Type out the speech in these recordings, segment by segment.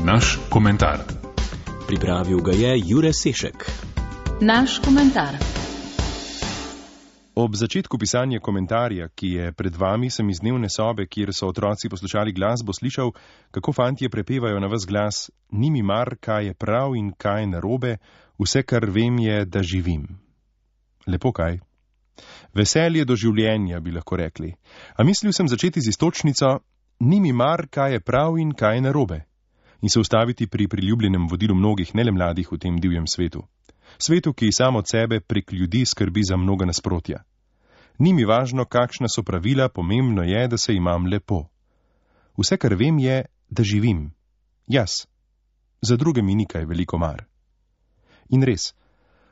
Naš komentar. Pripravil ga je Jure Sešek. Naš komentar. Ob začetku pisanja komentarja, ki je pred vami, sem iz dnevne sobe, kjer so otroci poslušali glasbo, slišal, kako fantje prepevajo na ves glas: ni mi mar, kaj je prav in kaj je narobe, vse, kar vem, je, da živim. Lepo kaj? Veselje do življenja, bi lahko rekli. A mislil sem začeti z iztočnico: ni mi mar, kaj je prav in kaj je narobe. In se ustaviti pri priljubljenem vodilu mnogih, ne le mladih, v tem divjem svetu. Svetu, ki sam od sebe prek ljudi skrbi za mnoga nasprotja. Ni mi važno, kakšna so pravila, pomembno je, da se imam lepo. Vse, kar vem, je, da živim. Jaz. Za druge mi ni kaj veliko mar. In res,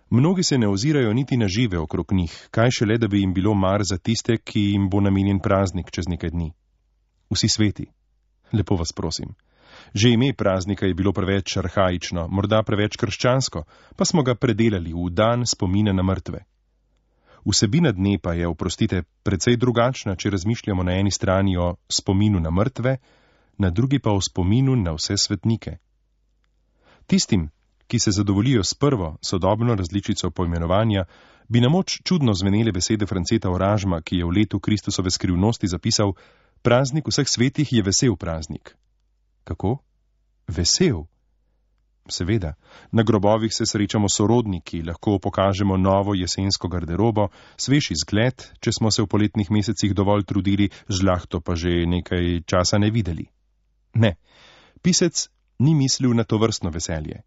mnogi se ne ozirajo niti na žive okrog njih, kaj šele, da bi jim bilo mar za tiste, ki jim bo namenjen praznik čez nekaj dni. Vsi sveti. Lepo vas prosim. Že ime praznika je bilo preveč arhaično, morda preveč krščansko, pa smo ga predelali v dan spomina na mrtve. Vsebina dne pa je, oprostite, precej drugačna, če razmišljamo na eni strani o spominu na mrtve, na drugi pa o spominu na vse svetnike. Tistim, ki se zadovoljijo s prvo, sodobno različico poimenovanja, bi na moč čudno zvenele besede Franceta Oražma, ki je v letu Kristusove skrivnosti zapisal: praznik vseh svetih je vesel praznik. Kako? Vesel? Seveda, na grobovih se srečamo sorodniki, lahko pokažemo novo jesensko garderobo, svež izgled, če smo se v poletnih mesecih dovolj trudili, žlahto pa že nekaj časa ne videli. Ne, pisec ni mislil na to vrstno veselje.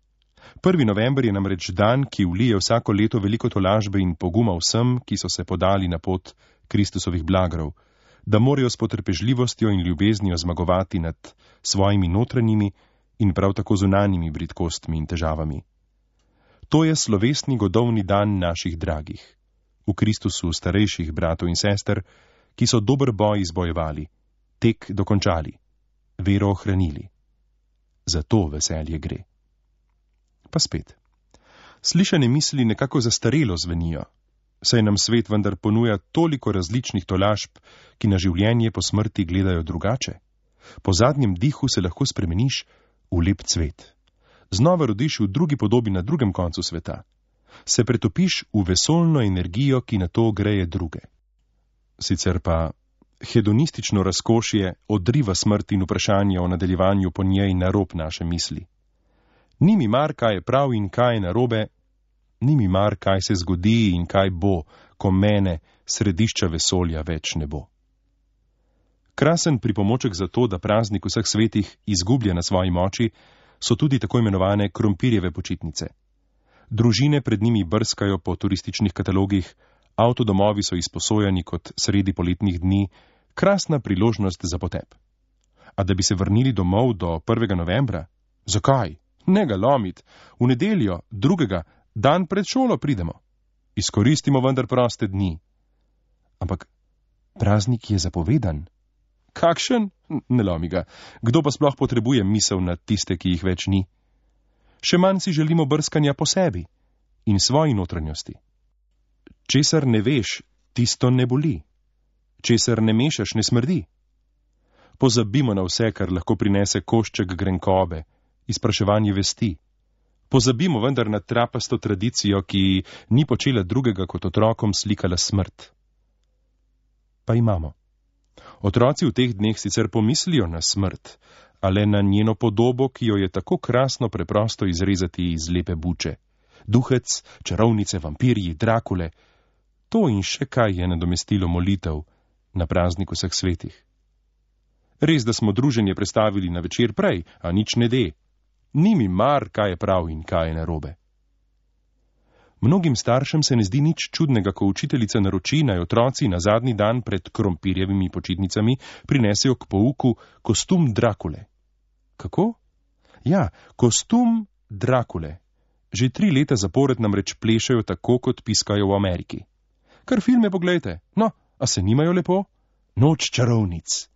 1. november je namreč dan, ki vlije vsako leto veliko tolažbe in poguma vsem, ki so se podali na pot Kristusovih blagrov, da morajo s potrpežljivostjo in ljubeznijo zmagovati nad svojimi notranjimi in prav tako zunanjimi bridkostmi in težavami. To je slovesni godovni dan naših dragih, v Kristusu starejših bratov in sester, ki so dober boj izbojevali, tek dokončali, vero ohranili. Za to veselje gre. Pa spet. Slišane misli nekako zastarelo zvenijo, saj nam svet vendar ponuja toliko različnih tolažb, ki na življenje po smrti gledajo drugače. Po zadnjem dihu se lahko spremeniš v lep cvet. Znova rodiš v drugi podobi na drugem koncu sveta. Se pretopiš v vesoljno energijo, ki na to greje druge. Sicer pa hedonistično razkošje odriva smrt in vprašanje o nadaljevanju po njej na rob naše misli. Ni mi mar, kaj je prav in kaj je narobe, ni mi mar, kaj se zgodi in kaj bo, ko mene, središča vesolja, več ne bo. Krasen pripomoček za to, da praznik vseh svetih izgublja na svoji moči, so tudi tako imenovane krompirjeve počitnice. Družine pred njimi brskajo po turističnih katalogih, avtodomovi so izposojani kot sredi poletnih dni, krasna priložnost za potep. A da bi se vrnili domov do 1. novembra? Zakaj? Ne ga lomit. V nedeljo, 2. dan pred šolo pridemo. Izkoristimo vendar proste dni. Ampak praznik je zapovedan. Kakšen? Ne lomi ga. Kdo pa sploh potrebuje misel na tiste, ki jih več ni? Še manj si želimo brskanja po sebi in svoji notranjosti. Česar ne veš, tisto ne boli. Česar ne mešaš, ne smrdi. Pozabimo na vse, kar lahko prinese košček grenkobe, izpraševanje vesti. Pozabimo vendar na trapasto tradicijo, ki ni počela drugega kot otrokom slikala smrt. Pa imamo. Otroci v teh dneh sicer pomislijo na smrt, a le na njeno podobo, ki jo je tako krasno preprosto izrezati iz lepe buče. Duhec, čarovnice, vampirji, Drakule. To in še kaj je nadomestilo molitev na praznik vseh svetih. Res, da smo druženje prestavili na večer prej, a nič ne de. Ni mi mar, kaj je prav in kaj je narobe. Mnogim staršem se ne zdi nič čudnega, ko učiteljica naroči, naj otroci na zadnji dan pred krompirjevimi počitnicami prinesejo k pouku kostum Drakule. Kako? Ja, kostum Drakule. Že 3 leta zapored namreč plešajo tako, kot piskajo v Ameriki. Kar filme poglejte. No, a se nimajo lepo? Noč čarovnic.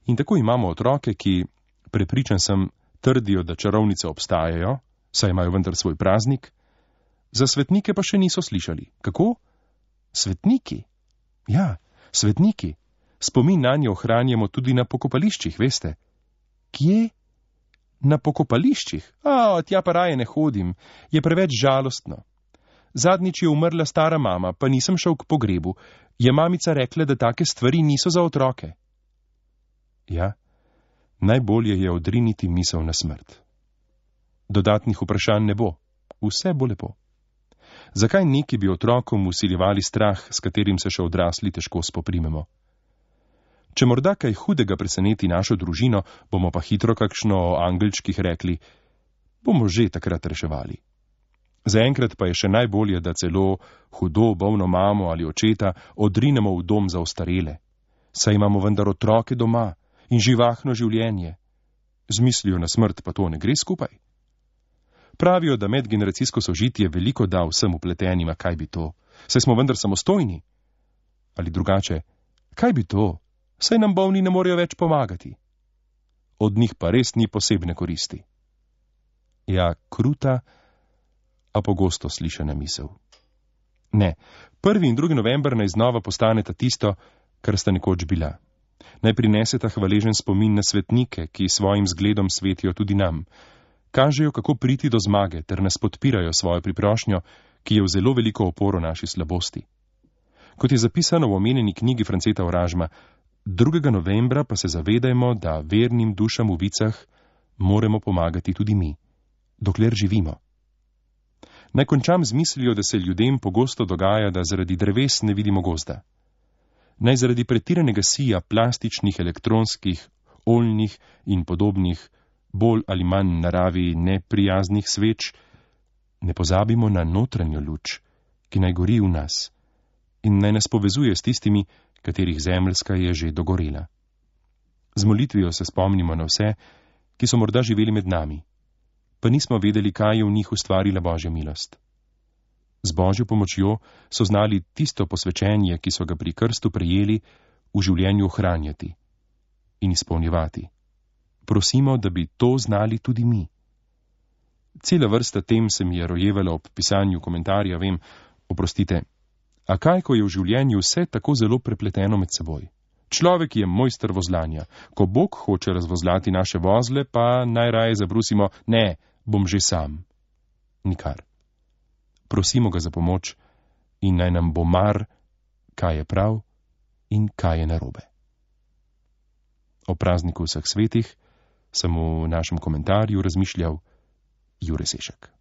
In tako imamo otroke, ki, prepričan sem, trdijo, da čarovnice obstajajo, saj imajo vendar svoj praznik, za svetnike pa še niso slišali. Kako? Svetniki? Ja, svetniki. Spomin nanje ohranjamo tudi na pokopališčih, veste. Kje? Na pokopališčih? Tja pa raje ne hodim, je preveč žalostno. Zadnjič je umrla stara mama, pa nisem šel k pogrebu. Je mamica rekla, da take stvari niso za otroke. Ja, najbolje je odriniti misel na smrt. Dodatnih vprašanj ne bo, vse bo lepo. Zakaj neki bi otrokom vsiljevali strah, s katerim se še odrasli težko spoprimemo? Če morda kaj hudega preseneti našo družino, bomo pa hitro kakšno o angelčkih rekli, bomo že takrat reševali. Zaenkrat pa je še najbolje, da celo hudo bolno mamo ali očeta odrinemo v dom za ostarele. Saj imamo vendar otroke doma in živahno življenje. Z mislijo na smrt pa to ne gre skupaj. Pravijo, da medgeneracijsko sožitje veliko da vsem vpletenima, kaj bi to? Saj smo vendar samostojni. Ali drugače, kaj bi to? Saj nam bolni ne morejo več pomagati. Od njih pa res ni posebne koristi. Ja, kruta, a pogosto slišana misel. Ne, 1. in 2. november naj znova postaneta tisto, kar sta nekoč bila. Naj prineseta hvaležen spomin na svetnike, ki svojim zgledom svetijo tudi nam. Kažejo, kako priti do zmage, ter nas podpirajo svojo priprošnjo, ki je v zelo veliko oporo naši slabosti. Kot je zapisano v omenjeni knjigi Franceta Oražma, 2. novembra pa se zavedajmo, da vernim dušam v vicah moramo pomagati tudi mi, dokler živimo. Naj končam z mislijo, da se ljudem pogosto dogaja, da zaradi dreves ne vidimo gozda. Naj zaradi pretiranega sija plastičnih, elektronskih, oljnih in podobnih, bolj ali manj naravi neprijaznih sveč, ne pozabimo na notranjo luč, ki naj gori v nas in naj nas povezuje s tistimi, katerih zemeljska je že dogorela. Z molitvijo se spomnimo na vse, ki so morda živeli med nami, pa nismo vedeli, kaj je v njih ustvarila Božja milost. Z Božjo pomočjo so znali tisto posvečenje, ki so ga pri krstu prejeli, v življenju ohranjati in izpolnjevati. Prosimo, da bi to znali tudi mi. Cela vrsta tem se mi je rojevala ob pisanju komentarja, vem, oprostite, a kaj, ko je v življenju vse tako zelo prepleteno med seboj? Človek je mojster vozlanja. Ko Bog hoče razvozlati naše vozle, pa najraje zabrusimo, ne, bom že sam. Nikar. Prosimo ga za pomoč in naj nam bo mar, kaj je prav in kaj je narobe. O prazniku vseh svetih sem v našem komentarju razmišljal Jure Sešek.